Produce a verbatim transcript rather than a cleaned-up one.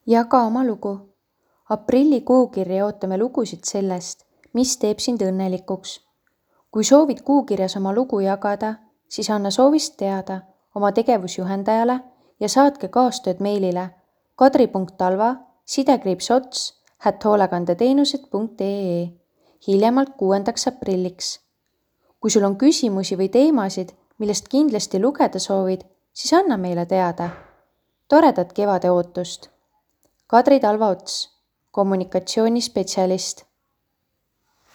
Jaga oma lugu. Aprilli kuukirja ootame lugusid sellest, mis teeb sind õnnelikuks. Kui soovid kuukirjas oma lugu jagada, siis anna soovist teada oma tegevusjuhendajale ja saatke kaastööd meilile kadri punkt talva sidekriips ots at hoolekandeteenused punkt ee hiljemalt kuuendaks aprilliks. Kui sul on küsimusi või teemasid, millest kindlasti lugeda soovid, siis anna meile teada. Toredat kevade ootust! Kadri Talva Ots, kommunikatsioonispetsialist.